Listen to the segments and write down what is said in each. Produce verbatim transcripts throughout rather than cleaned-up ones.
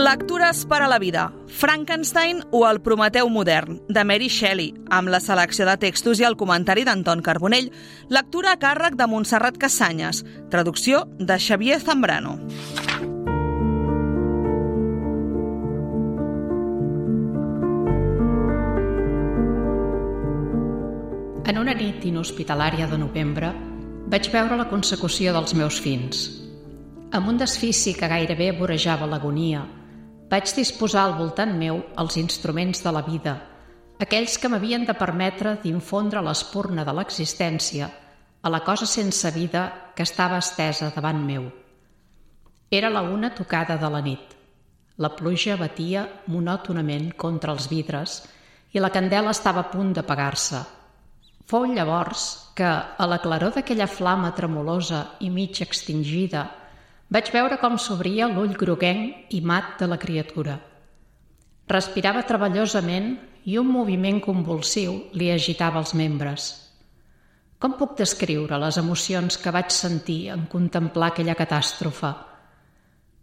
Lectures per a la vida, Frankenstein o el Prometeu modern, de Mary Shelley, amb la selecció de textos i el comentari d'Anton Carbonell, lectura a càrrec de Montserrat Cassanyes, traducció de Xavier Zambrano. En una nit inhospitalària de novembre vaig veure la consecució dels meus fins. Amb un desfici que gairebé vorejava l'agonia, vaig disposar al voltant meu els instruments de la vida, aquells que m'havien de permetre d'infondre l'espurna de l'existència a la cosa sense vida que estava estesa davant meu. Era la una tocada de la nit. La pluja batia monòtonament contra els vidres i la candela estava a punt d'apagar-se. Fou llavors que, a la claror d'aquella flama tremolosa i mig extingida, vaig veure com s'obria l'ull groguenc i mat de la criatura. Respirava treballosament i un moviment convulsiu li agitava els membres. Com puc descriure les emocions que vaig sentir en contemplar aquella catàstrofe?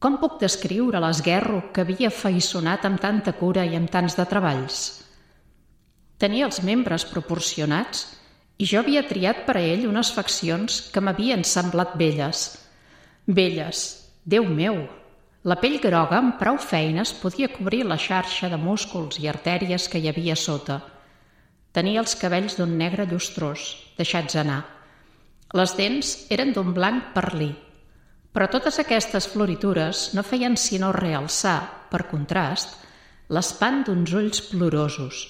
Com puc descriure l'esguerro que havia afaiçonat amb tanta cura i amb tants de treballs? Tenia els membres proporcionats i jo havia triat per a ell unes faccions que m'havien semblat belles. Belles, Déu meu! La pell groga amb prou feines podia cobrir la xarxa de músculs i artèries que hi havia sota. Tenia els cabells d'un negre llustrós, deixats anar. Les dents eren d'un blanc perlí. Però totes aquestes floritures no feien sinó realçar, per contrast, l'espant d'uns ulls plorosos,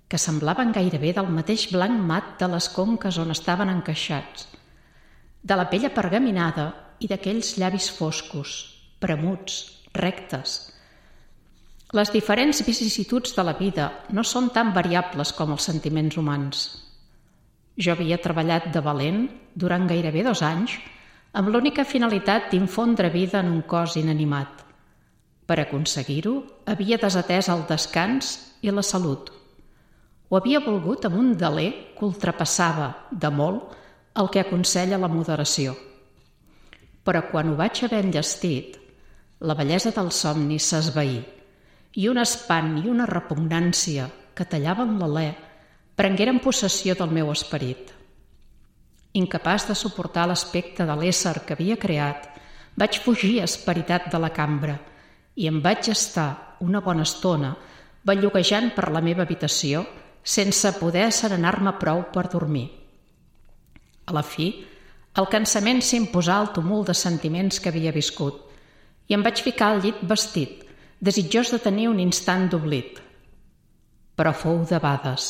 que semblaven gairebé del mateix blanc mat de les conques on estaven encaixats, de la pell apergaminada i d'aquells llavis foscos, premuts, rectes. Les diferents vicissituds de la vida no són tan variables com els sentiments humans. Jo havia treballat de valent durant gairebé dos anys amb l'única finalitat d'infondre vida en un cos inanimat. Per aconseguir-ho, havia desatès el descans i la salut. Ho havia volgut amb un deler que ultrapassava, de molt, el que aconsella la moderació. Però quan ho vaig haver enllestit, la bellesa del somni s'esvaí i un espant i una repugnància que tallaven l'alè prengueren possessió del meu esperit. Incapaç de suportar l'aspecte de l'ésser que havia creat, vaig fugir esperitat de la cambra i em vaig estar una bona estona belluguejant per la meva habitació sense poder asserenar-me prou per dormir. A la fi, el cansament s'imposà al tumult de sentiments que havia viscut i em vaig ficar al llit vestit, desitjós de tenir un instant d'oblit. Però fou debades.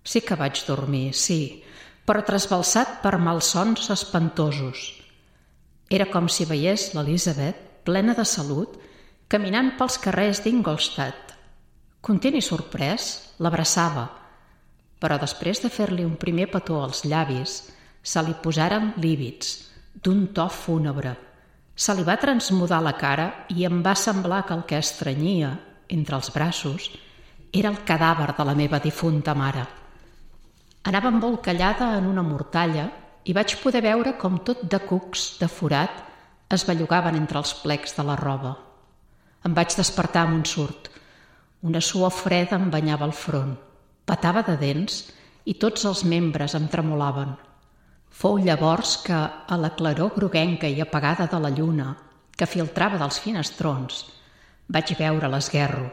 Sí que vaig dormir, sí, però trasbalsat per malsons espantosos. Era com si veiés l'Elisabet, plena de salut, caminant pels carrers d'Ingolstadt. Content i sorprès, l'abraçava, però després de fer-li un primer petó als llavis, se li posaren lívids, d'un to fúnebre. Se li va transmudar la cara i em va semblar que el que estrenyia, entre els braços, era el cadàver de la meva difunta mare. Anava embolcallada en una mortalla i vaig poder veure com tot de cucs, de forat, es bellugaven entre els plecs de la roba. Em vaig despertar amb un surt. Una suor freda em banyava el front, petava de dents i tots els membres em tremolaven. Fou llavors que, a la claror groguenca i apagada de la lluna, que filtrava dels finestrons, vaig veure l'esguerro,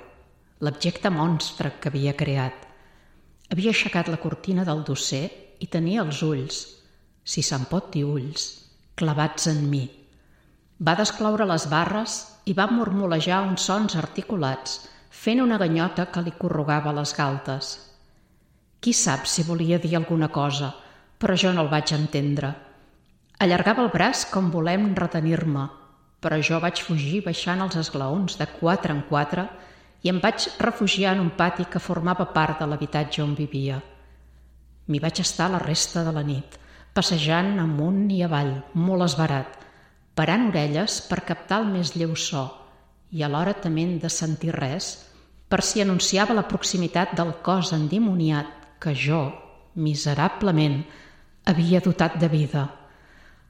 l'abjecte monstre que havia creat. Havia aixecat la cortina del dosser i tenia els ulls, si se'n pot dir ulls, clavats en mi. Va descloure les barres i va murmulejar uns sons articulats, fent una ganyota que li corrugava les galtes. Qui sap si volia dir alguna cosa, però jo no el vaig entendre. Allargava el braç com volem retenir-me, però jo vaig fugir baixant els esglaons de quatre en quatre i em vaig refugiar en un pati que formava part de l'habitatge on vivia. M'hi vaig estar la resta de la nit, passejant amunt i avall, molt esverat, parant orelles per captar el més lleu so i alhora tement de sentir res, per si anunciava la proximitat del cos endimoniat que jo, miserablement, havia dotat de vida.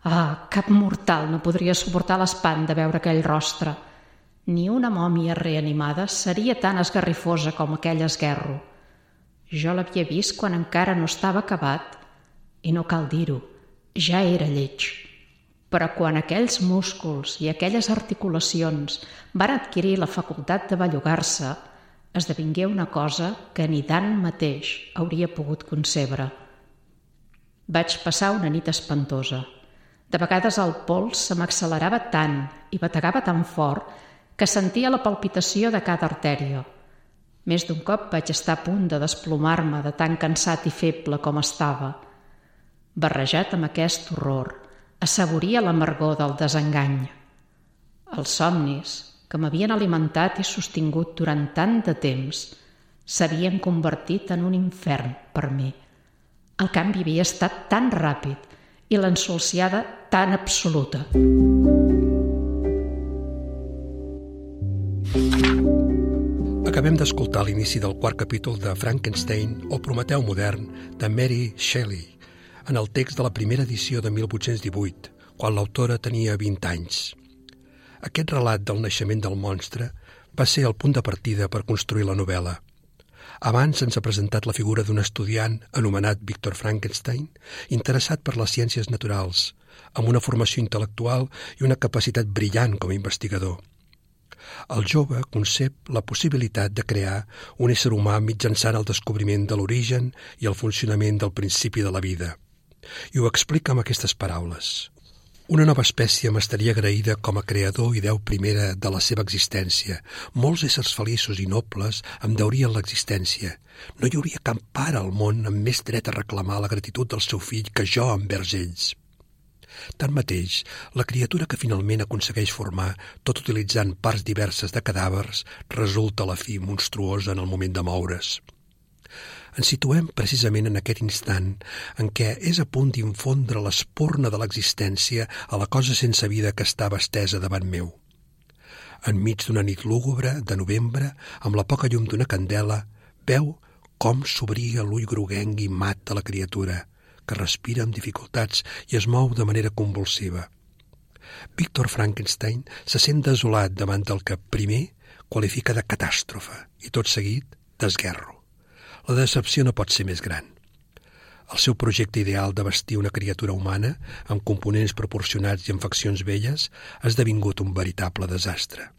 Ah, cap mortal no podria suportar l'espant de veure aquell rostre, Ni una mòmia reanimada seria tan esgarrifosa com aquell esguerro. Jo l'havia vist quan encara no estava acabat, i no cal dir-ho, ja era lleig. Però quan aquells músculs i aquelles articulacions van adquirir la facultat de bellugar-se, esdevingué una cosa que ni Dan mateix hauria pogut concebre. Vaig passar una nit espantosa. De vegades el pols se m'accelerava tant i bategava tan fort que sentia la palpitació de cada artèria. Més d'un cop vaig estar a punt de desplomar-me de tan cansat i feble com estava. Barrejat amb aquest horror, assaboria l'amargor del desengany. Els somnis, que m'havien alimentat i sostingut durant tant de temps, s'havien convertit en un infern per mi. El canvi havia estat tan ràpid i l'ensolsiada tan absoluta. Acabem d'escoltar l'inici del quart capítol de Frankenstein o Prometeu modern de Mary Shelley, en el text de la primera edició de mil vuit-cents divuit, quan l'autora tenia vint anys. Aquest relat del naixement del monstre va ser el punt de partida per construir la novel·la. Abans ens ha presentat la figura d'un estudiant anomenat Victor Frankenstein, interessat per les ciències naturals, amb una formació intel·lectual i una capacitat brillant com a investigador. El jove concep la possibilitat de crear un ésser humà mitjançant el descobriment de l'origen i el funcionament del principi de la vida. I ho explica amb aquestes paraules. Una nova espècie m'estaria agraïda com a creador i déu primera de la seva existència. Molts éssers feliços i nobles em deurien l'existència. No hi hauria cap pare al món amb més dret a reclamar la gratitud del seu fill que jo envers ells. Tanmateix, la criatura que finalment aconsegueix formar, tot utilitzant parts diverses de cadàvers, resulta a la fi monstruosa en el moment de moure's. Ens situem precisament en aquest instant en què és a punt d'infondre l'espurna de l'existència a la cosa sense vida que estava estesa davant meu. Enmig d'una nit lúgubre de novembre, amb la poca llum d'una candela, veu com s'obria l'ull groguenc i mat de la criatura, que respira amb dificultats i es mou de manera convulsiva. Victor Frankenstein se sent desolat davant del que, primer, qualifica de catàstrofe i, tot seguit, d'esguerro. La decepció no pot ser més gran. El seu projecte ideal de vestir una criatura humana, amb components proporcionats i amb faccions belles, ha esdevingut un veritable desastre.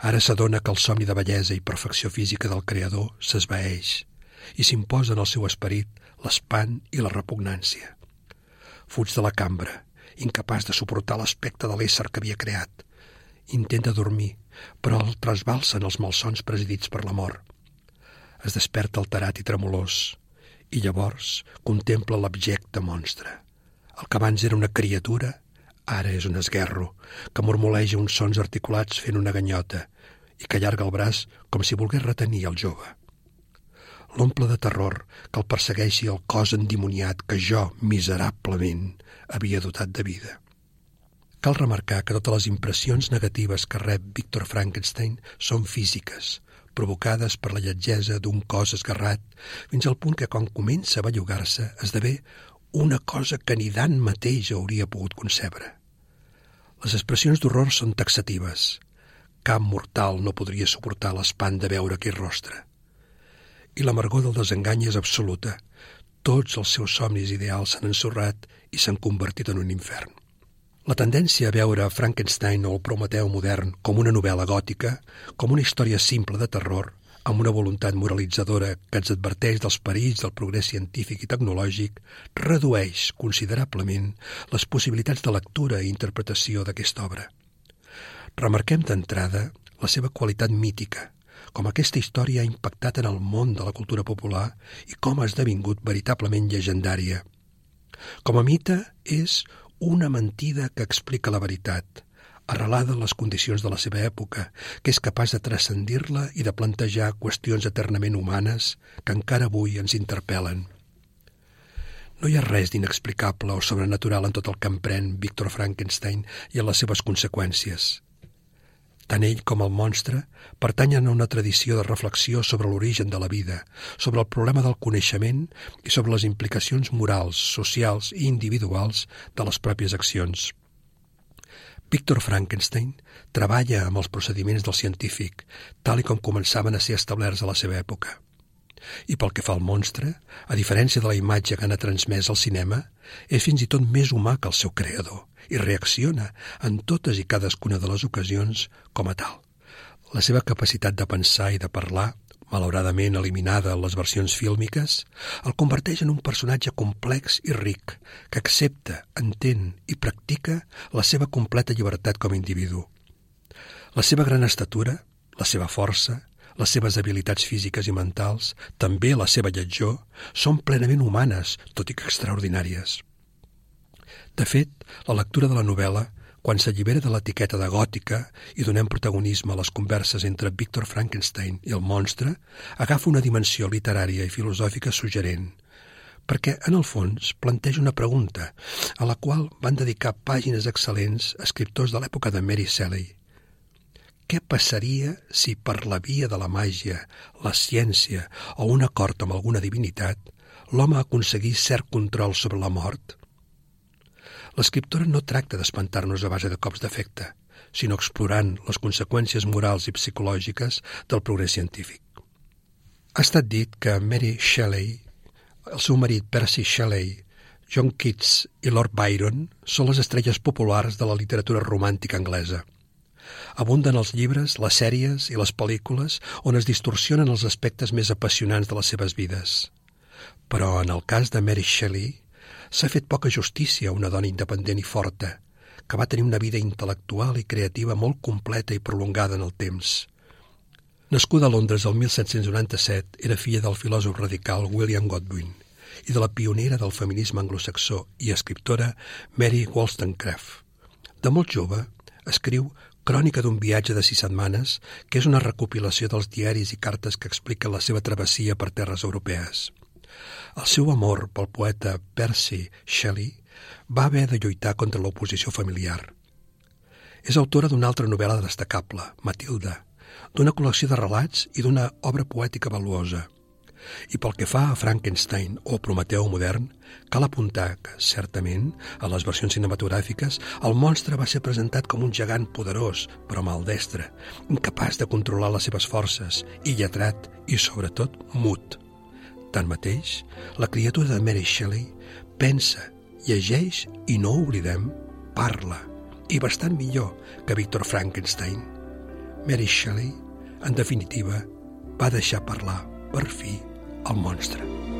Ara s'adona que el somni de bellesa i perfecció física del creador s'esvaeix i s'imposa en el seu esperit l'espant i la repugnància. Fuig de la cambra, incapaç de suportar l'aspecte de l'ésser que havia creat. Intenta dormir, però el trasbalsen els malsons presidits per la mort. Es desperta alterat i tremolós, i llavors contempla l'abjecte monstre. El que abans era una criatura, ara és un esguerro, que murmuleja uns sons articulats fent una ganyota i que allarga el braç com si volgués retenir el jove. L'omple de terror que el persegueixi el cos endimoniat que jo, miserablement, havia dotat de vida. Cal remarcar que totes les impressions negatives que rep Victor Frankenstein són físiques, provocades per la lletgesa d'un cos esgarrat, fins al punt que quan comença a bellugar-se esdevé una cosa que ni Dan mateix hauria pogut concebre. Les expressions d'horror són taxatives. Cap mortal no podria suportar l'espant de veure aquell rostre. I l'amargor del desengany és absoluta. Tots els seus somnis ideals s'han ensorrat i s'han convertit en un infern. La tendència a veure Frankenstein o el Prometeu modern com una novel·la gòtica, com una història simple de terror, amb una voluntat moralitzadora que ens adverteix dels perills del progrés científic i tecnològic, redueix considerablement les possibilitats de lectura i interpretació d'aquesta obra. Remarquem d'entrada la seva qualitat mítica, com aquesta història ha impactat en el món de la cultura popular i com ha esdevingut veritablement llegendària. Com a mite és una mentida que explica la veritat, arrelada en les condicions de la seva època, que és capaç de transcendir-la i de plantejar qüestions eternament humanes que encara avui ens interpel·len. No hi ha res d'inexplicable o sobrenatural en tot el que emprèn Victor Frankenstein i en les seves conseqüències. Tant ell com el monstre pertanyen a una tradició de reflexió sobre l'origen de la vida, sobre el problema del coneixement i sobre les implicacions morals, socials i individuals de les pròpies accions. Victor Frankenstein treballa amb els procediments del científic, tal i com començaven a ser establerts a la seva època. I pel que fa al monstre, a diferència de la imatge que n'ha transmès al cinema, és fins i tot més humà que el seu creador i reacciona en totes i cadascuna de les ocasions com a tal. La seva capacitat de pensar i de parlar, malauradament eliminada en les versions fílmiques, el converteix en un personatge complex i ric, que accepta, entén i practica la seva completa llibertat com a individu. La seva gran estatura, la seva força, les seves habilitats físiques i mentals, també la seva lletjor, són plenament humanes, tot i que extraordinàries. De fet, la lectura de la novel·la, quan s'allibera de l'etiqueta de gòtica i donem protagonisme a les converses entre Victor Frankenstein i el monstre, agafa una dimensió literària i filosòfica suggerent, perquè, en el fons, planteja una pregunta a la qual van dedicar pàgines excel·lents escriptors de l'època de Mary Shelley. Què passaria si per la via de la màgia, la ciència o un acord amb alguna divinitat, l'home aconseguís cert control sobre la mort? L'escriptora no tracta d'espantar-nos a base de cops d'efecte, sinó explorant les conseqüències morals i psicològiques del progrés científic. Ha estat dit que Mary Shelley, el seu marit Percy Shelley, John Keats i Lord Byron són les estrelles populars de la literatura romàntica anglesa. Abunden els llibres, les sèries i les pel·lícules on es distorsionen els aspectes més apassionants de les seves vides. Però en el cas de Mary Shelley s'ha fet poca justícia a una dona independent i forta, que va tenir una vida intel·lectual i creativa molt completa i prolongada en el temps. Nascuda a Londres el mil set-cents noranta-set, era filla del filòsof radical William Godwin i de la pionera del feminisme anglosaxó i escriptora Mary Wollstonecraft. De molt jove, escriu Crònica d'un viatge de sis setmanes, que és una recopilació dels diaris i cartes que expliquen la seva travessia per terres europees. El seu amor pel poeta Percy Shelley va haver de lluitar contra l'oposició familiar. És autora d'una altra novel·la destacable, Matilda, d'una col·lecció de relats i d'una obra poètica valuosa. I pel que fa a Frankenstein o Prometeu modern, cal apuntar que, certament, a les versions cinematogràfiques, el monstre va ser presentat com un gegant poderós, però maldestre, incapaç de controlar les seves forces, i lletrat, i sobretot mut. Tanmateix, la criatura de Mary Shelley pensa, llegeix i, no ho oblidem, parla, i bastant millor que Victor Frankenstein. Mary Shelley, en definitiva, va deixar parlar, per fi, el monstre.